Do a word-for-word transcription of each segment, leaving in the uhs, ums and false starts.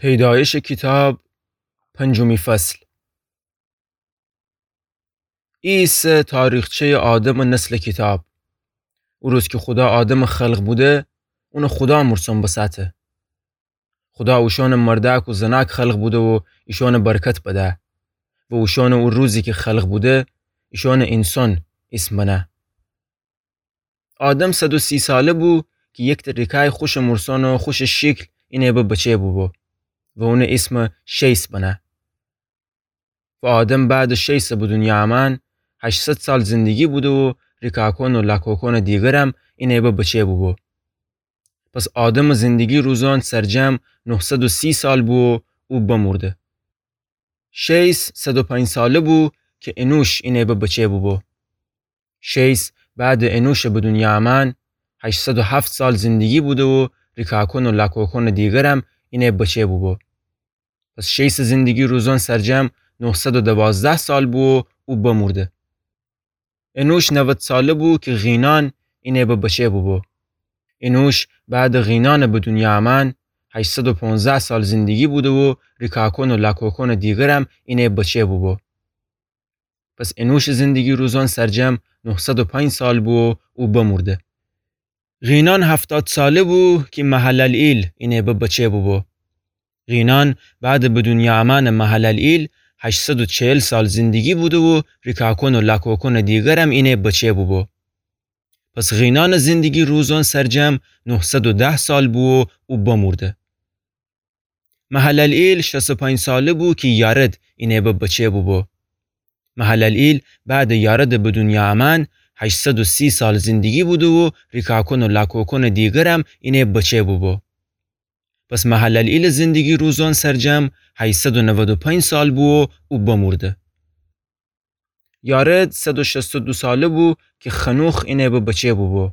پیدایشٚ کیتاب، پنجمی فصل. ای ایسه تاریخچه‌یٚ آدمٚ نسلٚ کیتاب. او روز کی خودا آدمٚ خلق بوده، اونٚ خودا مورسان بساته. خودا اوشأنٚ مردأک و زنأک خلق بوده و ایشأنٚ برکت بده و اوشأنٚ او روزی کی خلق بوده، ایشأنٚ اینسان ایسم بنه. آدم صد و سی ساله بو کی یکته ریکأی خوشٚ مورسان و خوشٚ شیکل اینه به بچه بوبو و اونٚ ایسم شیث بنه. و آدم بعدٚ شیثٚ به دونیا امأن هشتصد سال زندگی بوده و ریکأکأن و لاکأکأنٚ دیگرم اینه به بچه بوبو. پس آدمٚ زندگی روزأن سرجم نهصد و سی سال بو و او بمورده. شیث صد و پنج ساله بو کی انوش اینه به بچه بوبو. شیث بعدٚ انوشٚ به دونیا امأن هشتصد و هفت سال زندگی بوده و ریکأکأن و لاکأکأنٚ دیگرم اینه بچه بوبو. پس شیثٚ زندگی روزأن سرجم نهصد و دوازده سال بو و او بمورده. انوش نود ساله بو کی قینان اینه به بچه بوبو. انوش بعدٚ قینانٚ به دونیا امأن هشتصد و پانزده سال زندگی بوده و ریکأکأن و لاکأکأنٚ دیگرم اینه بچه بوبو. پس انوشٚ زندگی روزأن سرجم نهصد و پنج سال بو و او بمورده. قینان هفتاد ساله بو کی مهللئیل اینه به بچه بوبو. قینان بعدٚ به دونیا امأنٚ مهللئیل هشتصد و چهل سال زندگی بوده و ریکأکأن و لاکأکأنٚ دیگرم اینه بچه بوبو. پس قینانٚ زندگی روزأن سرجم نهصد و ده سال بو و او بمورده. مهللئیل شصت و پنج ساله بو کی یارد اینه به بچه بوبو. مهللئیل بعدٚ یاردٚ به دونیا امأن هشتصد و سی سال زندگی بوده و ریکأکأن و لاکأکأنٚ دیگرم اینه بچه بوبو. پس مهللئیلٚ زندگی روزأن سرجم هشتصد و نود و پنج سال بو و او بمورده. یارد صد و شصت و دو ساله بو کی خنوخ اینه به بچه بوبو.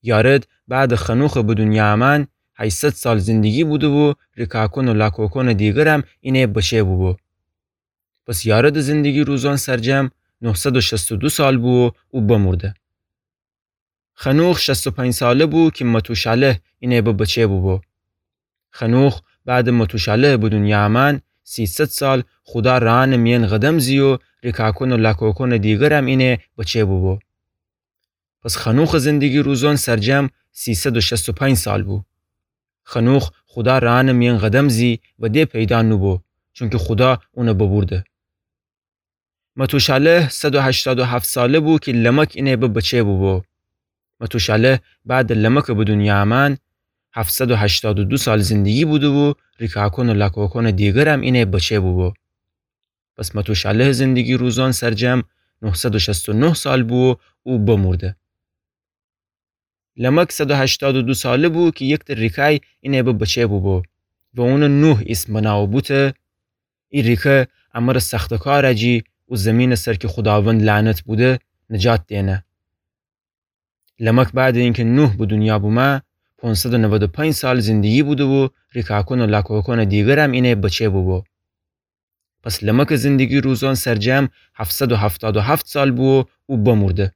یارد بعدٚ خنوخٚ به دونیا امأن هشتصد سال زندگی بوده و ریکأکأن و لاکأکأنٚ دیگرم اینه بچه بوبو. پس یاردٚ زندگی روزأن سرجم نهصد و شصت و دو سال بو و او بمورده. خنوخ شصت و پنج ساله بو کی متوشالح اینه به بچه بوبو. خنوخ بعدٚ متوشالحٚ به دونیا امأن سیصد سال خودا رأنٚ میأن قدم زی و ریکأکأن و لاکأکأنٚ دیگرم اینه بچه بوبو. پس خنوخٚ زندگی روزأن سرجم سیصد و شصت و پنج سال بو. خنوخ خودا رأنٚ میأن قدم زی و د پیدا نوبو، چونکی خودا اون ببورده. متوشالح صد و هشتاد و هفت ساله بو کی لمک اینه به بچه بوبو. متوشالح بعدٚ لمکٚ به دونیا امأن هفتصد و هشتاد و دو سال زندگی بوده و ریکأکأن و لاکأکأنٚ دیگرم اینه بچه بوبو. پس متوشالحٚ زندگی روزأن سرجم نهصد و شصت و نه سال بو و او بمورده. لمک صد و هشتاد و دو ساله بو کی یکته ریکأی اینه به بچه بوبو و اون نوح ایسم بنه و بوته: ای ریکه امر سختٚ کار جی و زیمینٚ سر کی خوداوند لعنت بوده نجات دینه. لمک بعدٚ اینکی نوح به دونیا بومه پانصد و نود و پنج سال زندگی بوده و ریکأکأن و لاکأکأنٚ دیگرم اینه بچه بوبو. پس لمکٚ زندگی روزأن سرجم هفتصد و هفتاد و هفت سال بو و او بمورده.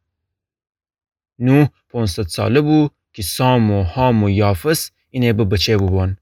نوح پانصد ساله بو کی سام و حام و یافث اینه به بچه بوبون.